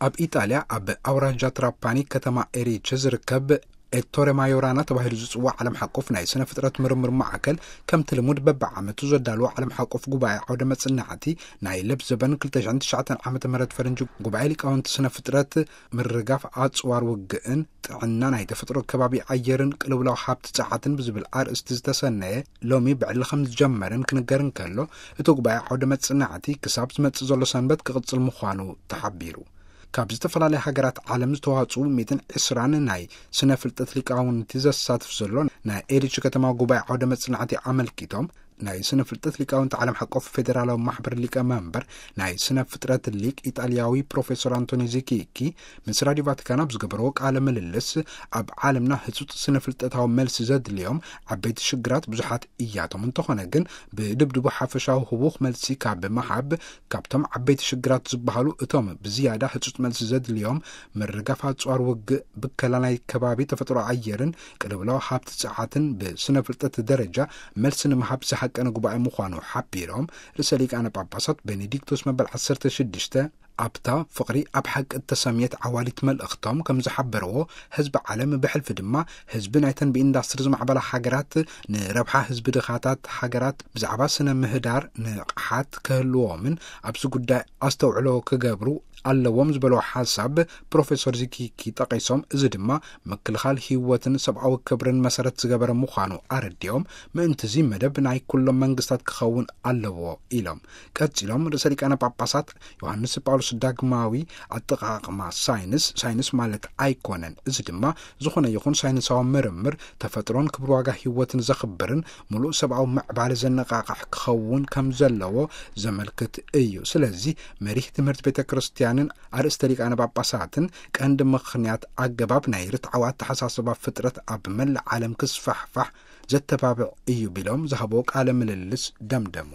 ኣብ ኢጣልያ ኣብ ኣውራጃ ትራፓኒ ከተማ ኤሪቸ ዝርከብ ኤቶሬ ማዮራና ተባሂሉ ዝጽዋዕ ዓለም ሓቆፍ ናይ ስነ ፍጥረት ምርምር ማዕከል፣ ከምቲ ልሙድ በብዓመቱ ዘዳልዎ ዓለም ሓቆፍ ጉባኤ ዓውደ መጽናዕቲ፣ ናይ ለብ ዘበን ክልተ ሽሕን ትሽዓተን ዓመተ ምህረት ፈረንጂ ጉባኤ ሊቃውንቲ ስነ ፍጥረት፣ ምርጋፍ ኣጽዋር ውግእን ጥዕና ናይ ተፈጥሮ ከባቢ ኣየርን ቅልውላው ሃብቲ ጸዓትን ብዝብል ኣርእስቲ ዝተሰነየ ሎሚ ብዕሊ ከም ዝጀመርን ክንገር እንከሎ፣ እቲ ጉባኤ ዓውደ መጽናዕቲ ክሳብ ዝመጽእ ዘሎ ሰንበት ክቕጽል ምዃኑ ተሓቢሩ። ካብ ዝተፈላለያ ሃገራት ዓለም ዝተዋጽኡ ሚእትን ዕስራን ናይ ስነ ፍልጠት ሊቃውንቲ ዘሳትፍ ዘሎ ናይ ኤሪች ከተማ ጉባኤ ዓውደ መጽናዕቲ ኣመልኪቶም፣ ናይ ስነ ፍልጠት ሊቃውንቲ ዓለም ሓቆፍ ፌዴራላዊ ማሕበር ሊቀ መንበር፣ ናይ ስነ ፍጥረት ሊቅ ኢጣልያዊ ፕሮፌሰር ኣንቶኒ ዚኪኪ ምስ ራዲዮ ቫቲካን ኣብ ዝገበረዎ ቃለ ምልልስ፣ ኣብ ዓለምና ህጹጽ ስነ ፍልጠታዊ መልሲ ዘድልዮም ዓበይቲ ሽግራት ብዙሓት እያቶም፣ እንተኾነ ግን ብድብድቡ ሓፈሻዊ ህቡኽ መልሲ ካብ መሃብ፣ ካብቶም ዓበይቲ ሽግራት ዝበሃሉ እቶም ብዝያዳ ህጹጽ መልሲ ዘድልዮም፣ ምርጋፍ ኣጽዋር ውግእ፣ ብከላ ናይ ከባቢ ተፈጥሮ ኣየርን ቅልውላው ሃብቲ ጸዓትን ብስነ ፍልጠት ደረጃ መልሲ ንምሃብ ዝሃቀነ ጉባኤ ምዃኑ ሓቢሮም፣ ርእሰ ሊቃነ ጳጳሳት ቤኔዲክቶስ መበል ዓሰርተ ሽዱሽተ ኣብታ ፍቕሪ ኣብ ሓቂ እተሰምየት ዓዋሊት መልእኽቶም ከም ዝሓበርዎ፣ ህዝቢ ዓለም ብሕልፊ ድማ ህዝቢ ናይተን ብኢንዳስትሪ ዝማዕበላ ሃገራት ንረብሓ ህዝቢ ድኻታት ሃገራት ብዛዕባ ስነ ምህዳር ንቕሓት ክህልዎምን ኣብዚ ጉዳይ ኣስተውዕሎ ክገብሩ ኣለዎም ዝበሎ ሓሳብ ፕሮፌሰር ዚኪኪ ጠቒሶም፣ እዚ ድማ ምክልኻል ህይወትን ሰብኣዊ ክብርን መሰረት ዝገበረ ምዃኑ ኣረዲኦም፣ ምእንትዚ መደብ ናይ ኩሎም መንግስታት ክኸውን ኣለዎ ኢሎም። ቀጺሎም ርእሰ ሊቃነ ጳጳሳት ዮሃንስ ጳውሎስ ዳግማዊ፣ ኣጠቓቕማ ሳይንስ ሳይንስ ማለት ኣይኮነን፣ እዚ ድማ ዝኾነ ይኹን ሳይንሳዊ ምርምር ተፈጥሮን ክብሪ ዋጋ ህይወትን ዘኽብርን ምሉእ ሰብኣዊ ምዕባለ ዘነቓቕሕ ክኸውን ከም ዘለዎ ዘመልክት እዩ። ስለዚ መሪህ ትምህርቲ ቤተ ክርስቲያንን ኣርእስተ ሊቃነ ጳጳሳትን ቀንዲ ምኽንያት ኣገባብ ናይ ርትዓዊ ኣተሓሳስባ ፍጥረት ኣብ መላእ ዓለም ክስፋሕፋሕ ዘተባብዕ እዩ ቢሎም ዝሃብዎ ቃለ ምልልስ ደምደሙ።